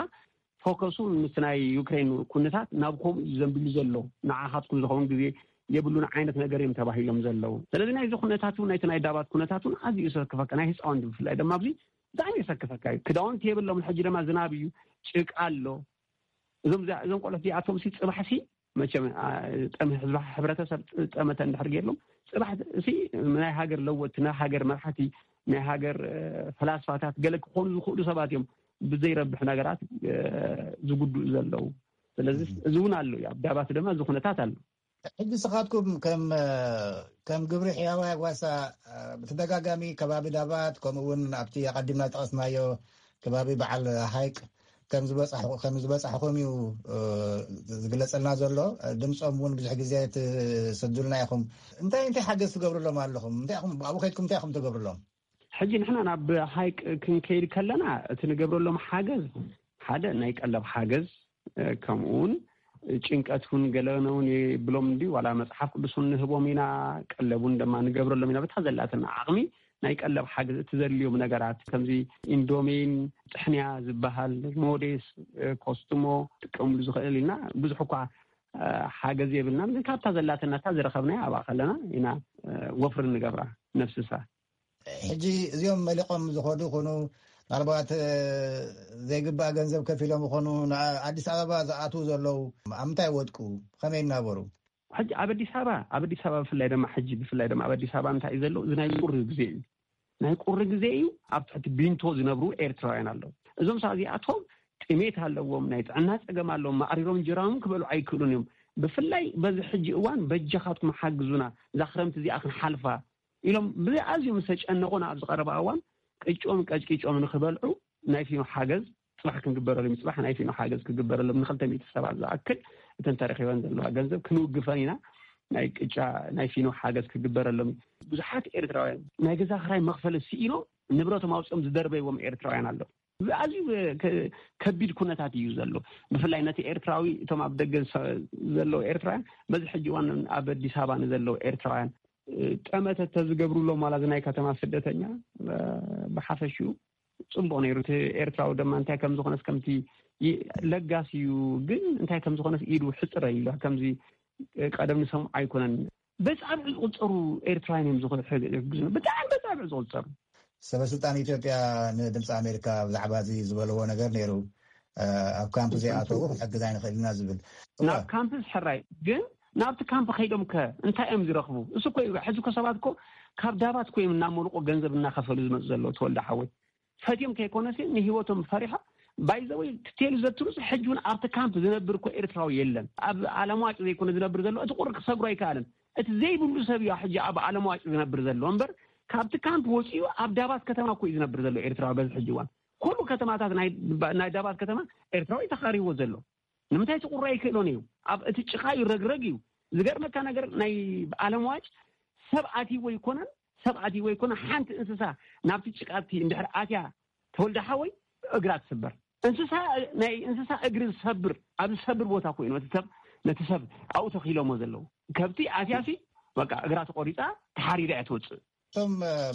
ፎከሱ ምስቲ ናይ ዩክሬን ኩነታት ናብ ከምኡ እዩ ዘንቢሉ ዘሎ። ንዓኻትኩም ዝኸውን ግዜ የብሉን ዓይነት ነገር እዮም ተባሂሎም ዘለዉ። ስለዚ ናይዚ ኩነታት እውን፣ ናይቲ ናይ ዳባት ኩነታት እውን ኣዝዩ ዘሰክፈካ፣ ናይ ህፃውንቲ ብፍላይ ድማ ኣብዚ ብጣዕሚ የሰክፈካ እዩ። ክዳውንቲ የብሎም። ሕጂ ድማ ዝናብ እዩ፣ ጭቃ ኣሎ። እዞም እዛ-፣ እዞም ቆልዑት እዚኣቶም ሲ ጽባሕ ሲ መቸም፣ አ፣ ጠም-፣ ህዝቢ፣ ሕብረተሰብ ጠመተ እንድሕር ገይርሎም፣ ጽባሕ ሲ ናይ ሃገር ለወጥቲ፣ ናይ ሃገር መራሕቲ፣ ናይ ሃገር፣ እ፣ ፈላስፋታት ገለ ክኾኑ ዝኽእሉ ሰባት እዮም ብዘይረብሕ ነገራት፣ እ፣ ዝጉድኡ ዘለዉ። ስለዚ እዚ እውን ኣሎ እዩ። ኣብ ዳባት ድማ እዚ ኩነታት ኣሎ። ሕጂ ንስኻትኩም ከም፣ ከም ግብሪ ሕያዋይ ጓሳ፣ ብተደጋጋሚ ከባቢ ዳባት፣ ከምኡ እውን ኣብቲ ኣቐዲምና ዝጠቐስናዮ ከባቢ በዓል ሃይቅ ከም ዝበጻሕ-፣ ከም ዝበጻሕኹም እዩ፣ እ፣ ዝግለጸልና ዘሎ። ድምጾም እውን ብዙሕ ግዜ ትሰዱልና ኢኹም። እንታይ፣ እንታይ ሓገዝ ትገብሩሎም ኣለኹም? እንታይ ኢኹም፣ ኣብኡ ከይድኩም እንታይ ኢኹም ትገብሩሎም? ሕጂ ንሕና ናብ ሃይቅ ክንከይድ ከለና፣ እቲ ንገብረሎም ሓገዝ፣ ሓደ ናይ ቀለብ ሓገዝ፣ እ፣ ከምኡ እውን ጭንቀት እውን ገለነ እውን ይብሎም እንዲ፣ ዋላ መጽሓፍ ቅዱስ እውን ንህቦም ኢና፣ ቀለብ እውን ድማ ንገብረሎም ኢና። በታ ዘላትና ዓቕሚ ናይ ቀለብ ሓገዝ፣ እቲ ዘድልዮም ነገራት፣ ከምዚ ኢንዶሚን፣ ጥሕንያ ዝበሃል፣ ሞዴስ፣ እ፣ ኮስትሞ ክጥቀምሉ ዝኽእል ኢልና፣ ብዙሕ እኳ፣ እ፣ ሓገዝ የብልናን፣ ግን ካብታ ዘላትና፣ እታ ዝረኸብናያ ኣብኣ ከለና ኢና፣ እ፣ ወፍሪ ንገብራ፣ ነፍስሳ። ሕጂ እዚኦም መሊቖም ዝኸዱ ይኹኑ፣ ምናልባት፣ እ፣ ዘይግባእ ገንዘብ ከፊሎም ይኾኑ፣ ንኣዲስ ኣበባ ዝኣትዉ ዘለዉ፣ ኣብ ምንታይ ወድቁ? ከመይ ይናበሩ? ሕጂ ኣብ ኣዲስ ኣበባ፣ ኣብ ኣዲስ ኣበባ ብፍላይ ድማ ሕጂ፣ ብፍላይ ድማ ኣብ ኣዲስ ኣበባ እንታይ እዩ ዘሎ? እዚ ናይ ቁሪ ግዜ እዩ። ናይ ቁሪ ግዜ እዩ። ኣብ ትሕቲ ቢንቶ ዝነብሩ ኤርትራውያን ኣለዉ። እዞም ሰባት እዚኣቶም ጥሜት ኣለዎም፣ ናይ ጥዕና ጸገም ኣለዎም፣ ማዕሪሮም እንጀራኦም ክበልዑ ኣይክእሉን እዮም። ብፍላይ በዚ ሕጂ እዋን በጃኻትኩም ሓግዙና፣ እዛ ክረምቲ እዚኣ ክንሓልፋ፣ ኢሎም ብኣዝዮም ዝተጨነቑ ኣብዚ ቀረባ እዋን ቅጭኦም ቀጭቂጮም ንክበልዑ ናይ ፊኖ ሓገዝ ጽባሕ ክንግበረሎም፣ ጽባሕ ናይ ፊኖ ሓገዝ ክግበረሎም ንክልተ ሚእቲ ሰባት ዝኣክል እተን ተረኪበን ዘለዋ ገንዘብ ክንውግፈን ኢና። ናይ ቅጫ ናይ ፊኖ ሓገዝ ክግበረሎም። ብዙሓት ኤርትራውያን ናይ ገዛ ክራይ መኽፈሊ ስኢኖም ንብረቶም ኣውፅኦም ዝደርበይዎም ኤርትራውያን ኣለዉ። ኣዝዩ ከቢድ ኩነታት እዩ ዘሎ። ብፍላይ ነቲ ኤርትራዊ፣ እቶም ኣብ ደገ ዘለዉ ኤርትራውያን፣ በዚ ሕጂ እዋን ኣብ ኣዲስ ኣበባ ንዘለዉ ኤርትራውያን ጠመተ ተዝገብሩሎም ዋላ እዚ ናይ ከተማ ስደተኛ ብሓፈሽኡ ጽቡቕ ነይሩ። እቲ ኤርትራዊ ድማ እንታይ ከም ዝኾነስ ከምቲ ለጋስ እዩ፣ ግን እንታይ ከም ዝኾነስ ኢዱ ሕጽረ ኢሉ ከምዚ ቀደም ንሰምዖ ኣይኮነን። በጻብዕ ዝቑጸሩ ኤርትራውያን እዮም ዝሕግዙ፣ ብጣዕሚ በጻብዕ ዝቑጸሩ። ሰበስልጣን ኢትዮጵያ ንድምፂ ኣሜሪካ ብዛዕባ እዚ ዝበለዎ ነገር ነይሩ። ኣብ ካምፕ ዘይኣተዉ ክሕግዝ ኣይንኽእል ኢና ዝብል። ናብ ካምፕስ ሕራይ፣ ግን ናብቲ ካምፕ ከይዶም ከ እንታይ እዮም ዝረኽቡ? እሱ እኮ እዩ። ሕዚ እኮ ሰባት እኮ ካብ ዳባት እኮ እዮም እናመልቆ ገንዘብ እናኸፈሉ ዝመፁ ዘለዉ። ተወልደ ሓወይ፣ ፈትዮም ከይኮነሲ ንህይወቶም ፈሪሖም። ባይዘወይ ትቴሉ ዘትሩስ ሕጂ እውን ኣብቲ ካምፕ ዝነብር እኮ ኤርትራዊ የለን። ኣብ ዓለም ዋጭ ዘይኮነ ዝነብር ዘሎ፣ እቲ ቁሪ ክሰግሮ ኣይከኣልን። እቲ ዘይብሉ ሰብ እዩ ሕጂ ኣብ ዓለም ዋጭ ዝነብር ዘሎ እምበር፣ ካብቲ ካምፕ ወፂኡ ኣብ ዳባት ከተማ እኮ እዩ ዝነብር ዘሎ ኤርትራዊ በዚ ሕጂ እዋን። ኩሉ ከተማታት ናይ ዳባት ከተማ ኤርትራዊ ተኻሪዎ ዘሎ። ንምንታይ እቲ ቁሪ ኣይክእሎን እዩ? ኣብ እቲ ጭኻ እዩ፣ ረግረግ እዩ። ዝገርመካ ነገር ናይ ዓለም ዋጭ ሰብ ኣትይዎ ኣይኮነን፣ ሰብ ኣትይዎ ኣይኮነን። ሓንቲ እንስሳ ናብቲ ጭቃ እቲ እንድሕር ኣትያ፣ ተወልደ ሓወይ፣ እግራ ትስበር። እንስሳ፣ ናይ እንስሳ እግሪ ዝሰብር፣ ኣብ ዝሰብር ቦታ ኮይኑ እቲ ሰብ ነቲ ሰብ ኣብኡ ተኺሎሞ ዘለዉ። ከብቲ ኣትያሲ በቃ እግራ ተቆሪፃ ተሓሪዳ እያ ትወፅእ። እቶም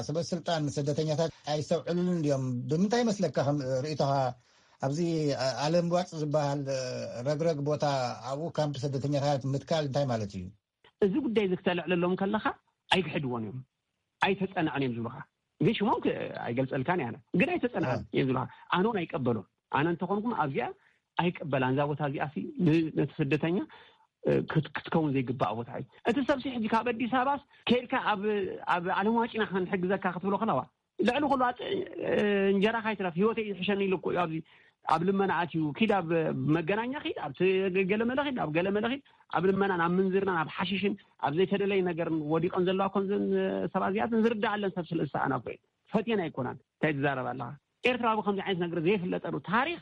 ሰበስልጣን ስደተኛታት ኣይስተውዕሉን ድዮም? ብምንታይ መስለካ ከም ርእይቶኻ ኣብዚ ኣለምዋጭ ዝበሃል ረግረግ ቦታ ኣብኡ ካምፕ ስደተኛታት ምትካል እንታይ ማለት እዩ? እዚ ጉዳይ እዚ ክተልዕለሎም ከለኻ ኣይክሕድዎን እዮም፣ ኣይተጸንዐን እዮም ዝብሉኻ። ግን ሽሞም ክ- ኣይገልጸልካን እየ ኣነ፣ ግን ኣይተጸንዐን እዮም ዝብሉኻ። ኣነ እውን ኣይቀበሉን። ኣነ እንተኾንኩም ኣብዚኣ ኣይቀበላን። እዛ ቦታ እዚኣ ሲ ን- ነቲ ስደተኛ እ፣ ክት- ክትከውን ዘይግባእ ቦታ እዩ። እቲ ሰብሲ ሕጂ ካብ ኣዲስ ኣበባስ ከይድካ ኣብ ኣብ ዓለም ዋጭና ክንሕግዘካ ክትብሎ ከለዋ ልዕሊ ኩሉ ኣጥ- እ፣ እንጀራኻ ይትረፍ ህይወተይ ይሕሸኒ ኢሉ እኮ እዩ ኣብዚ ኣብ ልመና ኣትዩ። ኪድ ኣብ መገናኛ ኪድ፣ ኣብ ገለመለ ኪድ፣ ኣብ ገለመለ ኪድ፣ ኣብ ልመናን ኣብ ምንዝርናን ኣብ ሓሽሽን ኣብ ዘይተደለየ ነገርን ወዲቐን ዘለዋ ኮንዘን ሰባት እዚኣትን ዝርዳኣለን ሰብ ስለ ዝሰኣና እኮ እየን። ፈትየን ኣይኮናን። እንታይ ትዛረብ ኣለኻ? ኤርትራ ብከምዚ ዓይነት ነገር ዘይፍለጠሉ ታሪኽ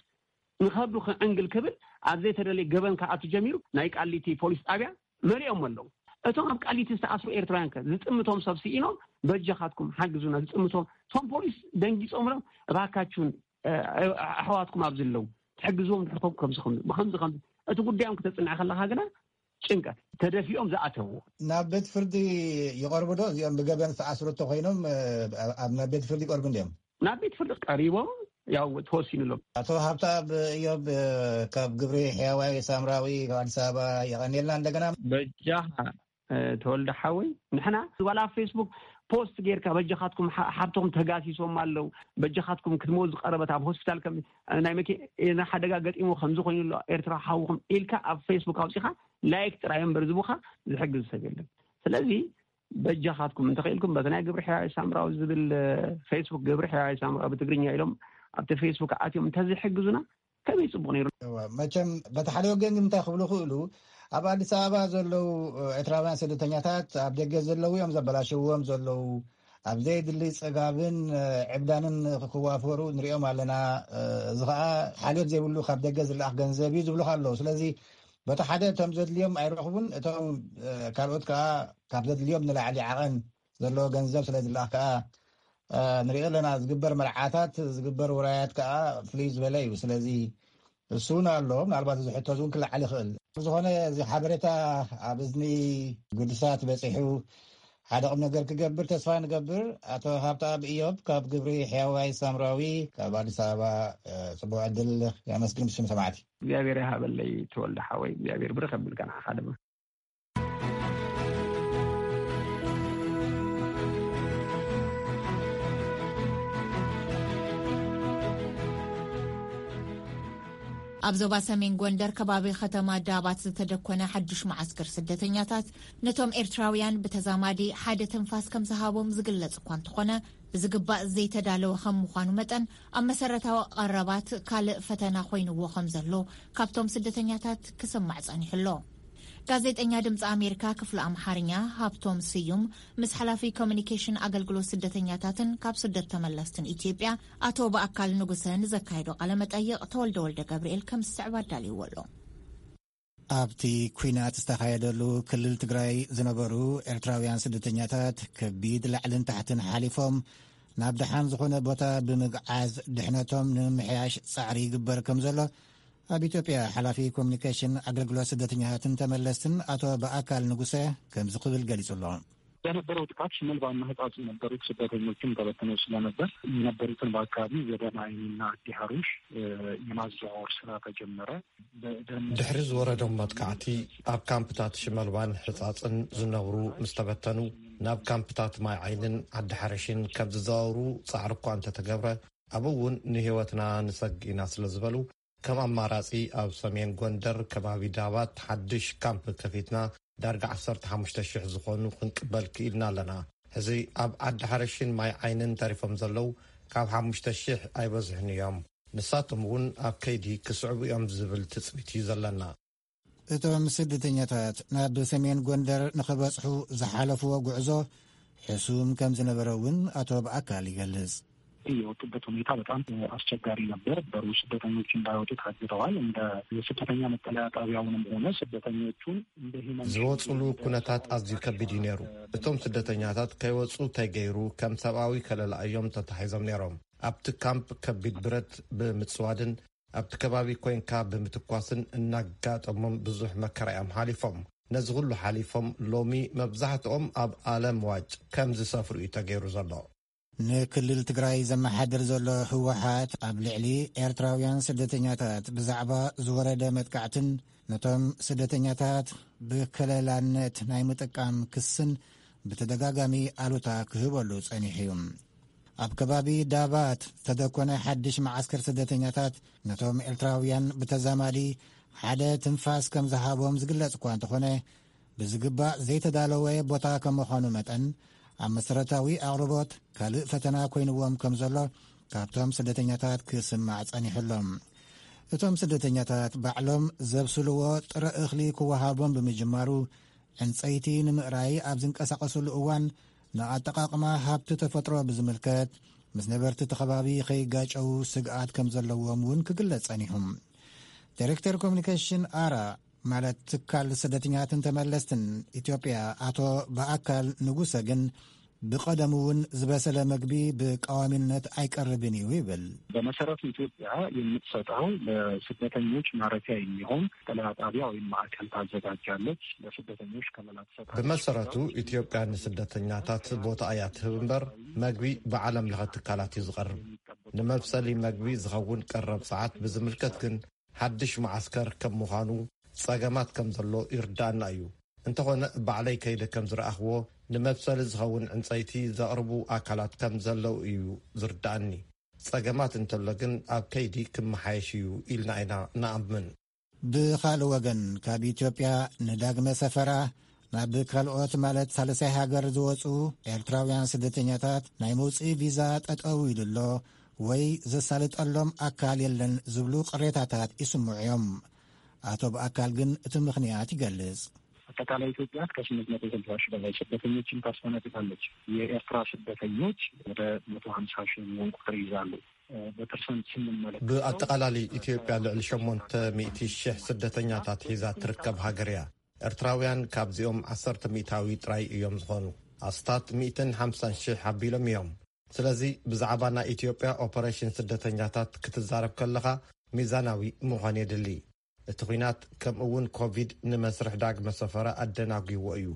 ንኸብዱ ክዕንግል ክብል ኣብ ዘይተደለየ ገበን ክኣቱ ጀሚሩ። ናይ ቃሊቲ ፖሊስ ጣብያ መሊኦም ኣለዉ። እቶም ኣብ ቃሊቲ ዝተኣስሩ ኤርትራውያን ከ ዝጥምቶም ሰብ ስኢኖም፣ በጃኻትኩም ሓግዙና። ዝጥምቶም እቶም ፖሊስ ደንጊጾምሎም፣ እባካችሁን እ፣ ኣሕዋትኩም ኣብዚ ኣለዉ ትሕግዝዎም ድሕርኩም ከምዚ ከምዚ ብከምዚ ከምዚ። እቲ ጉዳዮም ክተጽንዐ ከለኻ ግና ጭንቀት፣ ተደፊኦም ዝኣተውዎ። ናብ ቤት ፍርዲ ይቐርቡ ዶ እዚኦም ብገበን ዝተኣስሩ እንተኮይኖም? እ፣ ኣብ ናብ ቤት ፍርዲ ይቀርቡ እንዲዮም? ናብ ቤት ፍርዲ ቀሪቦም ያው ተወሲኑሎም። ኣቶ ሃብተኣብ እዮብ፣ እ፣ ካብ ግብሪ ሕያዋይ ሳምራዊ ካብ ኣዲስ ኣበባ የቐንየልና። እንደገና በጃኻ እ፣ ተወልደ ሓወይ፣ ንሕና ዋላ ኣብ ፌስቡክ ፖስት ጌርካ በጃኻትኩም ሓ- ሓብቶም ተጋሲሶም ኣለዉ፣ በጃኻትኩም ክትመውት ዝቀረበት ኣብ ሆስፒታል ከም እ፣ ናይ መኪና ሓደጋ ገጢሙ ከምዚ ኮይኑ ኣሎ ኤርትራ ሓውኹም ኢልካ ኣብ ፌስቡክ ኣውጺኻ ላይክ ጥራይ እምበር ዝቡኻ ዝሕግዝ ሰብ የለን። ስለዚ በጃኻትኩም እንተኽኢልኩም በቲ ናይ ግብሪ ሕያዋይ ሳምራዊ ዝብል እ፣ ፌስቡክ ግብሪ ሕያዋይ ሳምራዊ ብትግርኛ ኢሎም ኣብቲ ፌስቡክ ኣትዮም እንተዝሕግዙና ከመይ ጽቡቕ ነይሩ። እወ፣ መቸም በቲ ሓደ ወገን ግን እንታይ ክብሉ ክእሉ፣ ኣብ ኣዲስ ኣበባ ዘለዉ ኤርትራውያን ስደተኛታት ኣብ ደገ ዘለዉ እዮም ዘበላሸዎም ዘለዉ። ኣብ ዘይድሊ ጽጋብን ዕብዳንን ክዋፈሩ ንሪኦም ኣለና። እዚ ኸኣ ሓልዮት ዘይብሉ ካብ ደገ ዝለኣኽ ገንዘብ እዩ ዝብሉኻ ኣለዉ። ስለዚ በቲ ሓደ እቶም ዘድልዮም ኣይረኽቡን፣ እቶም ካልኦት ከኣ ካብ ዘድልዮም ንላዕሊ ዓቐን ዘለዎ ገንዘብ ስለ ዝለኣኽ ከኣ ንሪኦ ኣለና። ዝግበር መርዓታት፣ ዝግበር ውራያት ከኣ ፍልይ ዝበለ እዩ። ስለዚ እሱ እውን ኣሎ። ምናልባት እዚ ሕቶ እዚ እውን ክለዓል ይኽእል። ብዝኾነ እዚ ሓበሬታ ኣብ እዝኒ ግዱሳት በፂሑ ሓደ ቁም ነገር ክገብር ተስፋ ንገብር። ኣቶ ሃብተኣብ እዮብ ካብ ግብሪ ሕያዋይ ሳምራዊ ካብ ኣዲስ ኣበባ ፅቡቅ ዕድል የመስግን ብስም ሰማዕቲ። እግዚኣብሔር ይሃበለይ ተወልደ ሓወይ፣ እግዚኣብሔር ብርኽ ኣቢልካ ንዓኻ ድማ። ኣብ ዞባ ሰሜን ጎንደር ከባቢ ከተማ ዳባት ዝተደኮነ ሓዱሽ መዓስከር ስደተኛታት ነቶም ኤርትራውያን ብተዛማዲ ሓደ ትንፋስ ከም ዝሃቦም ዝግለጽ እኳ እንተኾነ ብዝግባእ ዘይተዳለወ ከም ምዃኑ መጠን ኣብ መሰረታዊ ቀረባት ካልእ ፈተና ኮይንዎ ከም ዘሎ ካብቶም ስደተኛታት ክስማዕ ጸኒሑ ኣሎ። ጋዜጠኛ ድምፂ ኣሜሪካ ክፍሊ ኣምሓርኛ ሃብቶም ስዩም ምስ ሓላፊ ኮሚኒኬሽን ኣገልግሎት ስደተኛታትን ካብ ስደት ተመለስትን ኢትዮጵያ ኣቶ በኣካል ንጉሰ ንዘካየዶ ቃለ መጠይቕ ተወልደ ወልደ ገብርኤል ከም ዝስዕብ ኣዳልይዎ ኣሎ። ኣብቲ ኲናት ዝተኻየደሉ ክልል ትግራይ ዝነበሩ ኤርትራውያን ስደተኛታት ከቢድ ላዕልን ታሕትን ሓሊፎም ናብ ደሓን ዝኾነ ቦታ ብምግዓዝ ድሕነቶም ንምምሕያሽ ጻዕሪ ይግበር ከም ዘሎ ኣብ ኢትዮጵያ ሓላፊ ኮሚኒኬሽን ኣገልግሎት ስደተኛታትን ተመለስትን ኣቶ በኣካል ንጉሰ ከምዚ ክብል ገሊጹ ኣሎ። በነበረው ጥቃት ሽመልባና ህጻጽ የነበሩት ስደተኞችም ተበትነው ስለነበር የነበሩትን በአካባቢ ወደ ማይኒና አዲ ሀሩሽ የማዘዋወር ስራ ተጀመረ። ድሕሪ ዝወረዶም መጥቃዕቲ ኣብ ካምፕታት ሽመልባን ሕጻጽን ዝነብሩ ምስ ተበተኑ ናብ ካምፕታት ማይ ዓይንን ዓዲ ሓረሽን ከም ዝዘዋውሩ ጻዕሪ እኳ እንተተገብረ ኣብኡ እውን ንህይወትና ንሰግእ ኢና ስለ ዝበሉ ከም ኣማራጺ ኣብ ሰሜን ጎንደር ከባቢ ዳባት ሓድሽ ካምፕ ከፊትና ዳርጋ ዓሰርተ ሓሙሽተ ሽሕ ዝኾኑ ክንቅበል ክኢልና ኣለና። ሕዚ ኣብ ዓዲ ሓረሽን ማይ ዓይንን ተሪፎም ዘለዉ ካብ ሓሙሽተ ሽሕ ኣይበዝሑን እዮም። ንሳቶም እውን ኣብ ከይዲ ክስዕቡ እዮም ዝብል ትጽቢት እዩ ዘለና። እቶም ስደተኛታት ናብ ሰሜን ጎንደር ንኽበጽሑ ዝሓለፍዎ ጉዕዞ ሕሱም ከም ዝነበረ እውን ኣቶ በኣካል ይገልጽ። የወጡበት ሁኔታ በጣም አስቸጋሪ ነበር። በሩ ስደተኞች እንዳይወጡ ታግደዋል። እንደ የስደተኛ መጠለያ ጣቢያውንም ሆነ ስደተኞቹን እንደ ሂመን ዝወፅሉ ኩነታት ኣዝዩ ከቢድ እዩ ነይሩ። እቶም ስደተኛታት ከይወፁ ተገይሩ ከም ሰብኣዊ ከለላ እዮም ተታሒዞም ነይሮም። ኣብቲ ካምፕ ከቢድ ብረት ብምፅዋድን ኣብቲ ከባቢ ኮይንካ ብምትኳስን እናጋጠሞም ብዙሕ መከራ እዮም ሓሊፎም። ነዚ ኩሉ ሓሊፎም ሎሚ መብዛሕትኦም ኣብ ኣለም ዋጭ ከም ዝሰፍሩ እዩ ተገይሩ ዘሎ። ንክልል ትግራይ ዘመሓድር ዘሎ ህወሓት ኣብ ልዕሊ ኤርትራውያን ስደተኛታት ብዛዕባ ዝወረደ መጥቃዕትን ነቶም ስደተኛታት ብከለላነት ናይ ምጥቃም ክስን ብተደጋጋሚ ኣሉታ ክህበሉ ጸኒሑ እዩ። ኣብ ከባቢ ዳባት ዝተደኮነ ሓድሽ መዓስከር ስደተኛታት ነቶም ኤርትራውያን ብተዛማዲ ሓደ ትንፋስ ከም ዝሃቦም ዝግለጽ እኳ እንተኾነ ብዝግባእ ዘይተዳለወ ቦታ ከም ምዃኑ መጠን ኣብ መሰረታዊ ኣቕርቦት ካልእ ፈተና ኮይንዎም ከም ዘሎ ካብቶም ስደተኛታት ክስማዕ ጸኒሑ ኣሎ። እቶም ስደተኛታት ባዕሎም ዘብስልዎ ጥረ እኽሊ ክወሃቦም ብምጅማሩ ዕንጸይቲ ንምእራይ ኣብ ዝንቀሳቐስሉ እዋን ንኣጠቓቕማ ሃብቲ ተፈጥሮ ብዝምልከት ምስ ነበርቲ እቲ ከባቢ ከይጋጨዉ ስግኣት ከም ዘለዎም እውን ክግለጽ ጸኒሑ። ዳይሬክተር ኮሚኒኬሽን ኣራ ማለት ትካል ስደተኛትን ተመለስትን ኢትዮጵያ ኣቶ በኣካል ንጉሰ ግን ብቐደሙ እውን ዝበሰለ መግቢ ብቀዋሚነት ኣይቀርብን እዩ ይብል። በመሰረቱ ኢትዮጵያ የምትሰጠው ለስደተኞች ማረፊያ የሚሆን መጠለያ ጣቢያ ወይም ማዕከል ታዘጋጃለች። ለስደተኞች ከለላ ትሰጣለች። ብመሰረቱ ኢትዮጵያ ንስደተኛታት ቦታ እያ ትህብ እምበር መግቢ ብዓለም ለኸ ትካላት እዩ ዝቐርብ። ንመብሰሊ መግቢ ዝኸውን ቀረብ ሰዓት ብዝምልከት ግን ሓድሽ መዓስከር ከም ምዃኑ ጸገማት ከም ዘሎ ይርዳእና እዩ። እንተኾነ ባዕለይ ከይደ ከም ዝረኣኽዎ ንመብሰሊ ዝኸውን ዕንጸይቲ ዘቕርቡ ኣካላት ከም ዘለዉ እዩ ዝርዳእኒ። ጸገማት እንተሎ ግን ኣብ ከይዲ ክመሓየሽ እዩ ኢልና ኢና ንኣምን። ብኻልእ ወገን ካብ ኢትዮጵያ ንዳግመ ሰፈራ ናብ ካልኦት ማለት ሳልሳይ ሃገር ዝወፁ ኤርትራውያን ስደተኛታት ናይ መውፅኢ ቪዛ ጠጠው ኢሉ ኣሎ ወይ ዘሳልጠሎም ኣካል የለን ዝብሉ ቅሬታታት ይስምዑ እዮም። ኣቶ በኣካል ግን እቲ ምኽንያት ይገልጽ። አጠቃላይ ኢትዮጵያ ከስምንት መቶ ስልሳ ሺህ በላይ ስደተኞችን ታስተናግዳለች። የኤርትራ ስደተኞች ወደ መቶ ሀምሳ ሺህ የሚሆን ቁጥር ይዛሉ። በፐርሰንት ስንመለከት ብኣጠቓላሊ ኢትዮጵያ ልዕሊ ሸሞንተ ሚእቲ ሽሕ ስደተኛታት ሒዛ ትርከብ ሃገር እያ። ኤርትራውያን ካብዚኦም ዓሰርተ ሚእታዊ ጥራይ እዮም ዝኾኑ። ኣስታት ሚእትን ሓምሳን ሽሕ ኣቢሎም እዮም። ስለዚ ብዛዕባ ናይ ኢትዮጵያ ኦፐሬሽን ስደተኛታት ክትዛረብ ከለኻ ሚዛናዊ ምዃን የድሊ። እቲ ኲናት ከምኡ እውን ኮቪድ ንመስርሕ ዳግመ ሰፈራ ኣደናጒዎ እዩ።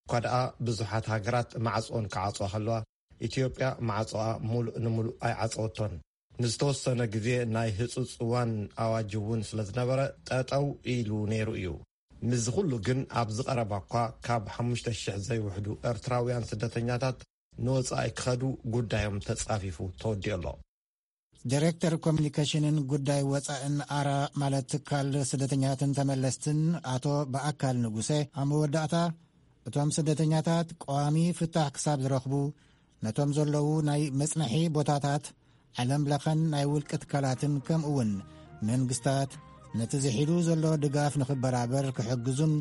እኳ ደኣ ብዙሓት ሃገራት ማዕጾን ክዓጽዋ ከለዋ ኢትዮጵያ ማዕጾኣ ሙሉእ ንሙሉእ ኣይዓጸወቶን። ንዝተወሰነ ግዜ ናይ ህጹጽ እዋን ኣዋጅ እውን ስለ ዝነበረ ጠጠው ኢሉ ነይሩ እዩ። ምስዚ ኩሉ ግን ኣብዚ ቀረባ እኳ ካብ ሓሙሽተ ሽሕ ዘይውሕዱ ኤርትራውያን ስደተኛታት ንወጻኢ ክኸዱ ጉዳዮም ተጻፊፉ ተወዲኡ ኣሎ። ዳይሬክተር ኮሚኒኬሽንን ጉዳይ ወጻእን ኣራ ማለት ትካል ስደተኛትን ተመለስትን ኣቶ በኣካል ንጉሰ ኣብ መወዳእታ እቶም ስደተኛታት ቀዋሚ ፍታሕ ክሳብ ዝረኽቡ ነቶም ዘለዉ ናይ መጽንሒ ቦታታት ዓለም ለኸን ናይ ውልቂ ትካላትን ከምኡ እውን መንግስታት ነቲ ዝሒዱ ዘሎ ድጋፍ ንኽበራበር ክሕግዙን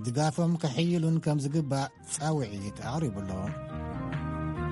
ድጋፎም ከሕይሉን ከም ዝግባእ ጻውዒት ኣቕሪቡ ኣሎ።